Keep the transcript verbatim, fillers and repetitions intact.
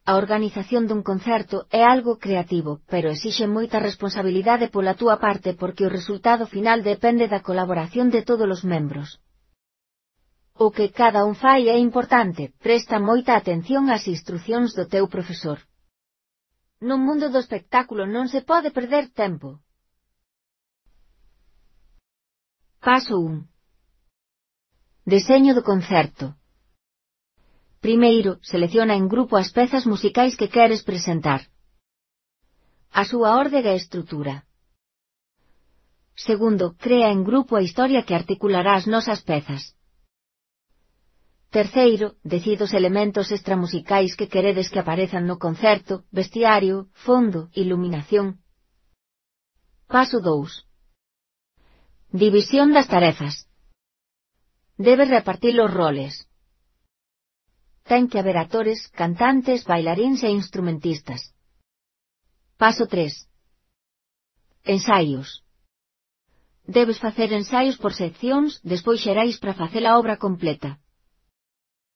A organización dun concerto é algo creativo, pero exixe moita responsabilidade pola túa parte porque o resultado final depende da colaboración de todos os membros. O que cada un fai é importante, presta moita atención ás instrucións do teu profesor. No mundo do espectáculo non se pode perder tempo. Paso un. Deseño do concerto. Primeiro, selecciona en grupo as pezas musicais que queres presentar. A súa orde e estrutura. Segundo, crea en grupo a historia que articulará as nosas pezas. Terceiro, decide os elementos extramusicais que queredes que aparezan no concerto, vestiario, fondo, iluminación. Paso dous. División das tarefas. Debes repartir os roles. Ten que haber actores, cantantes, bailaríns e instrumentistas. Paso tres. Ensaios. Debes facer ensaios por seccións, despois xerais para facer a obra completa.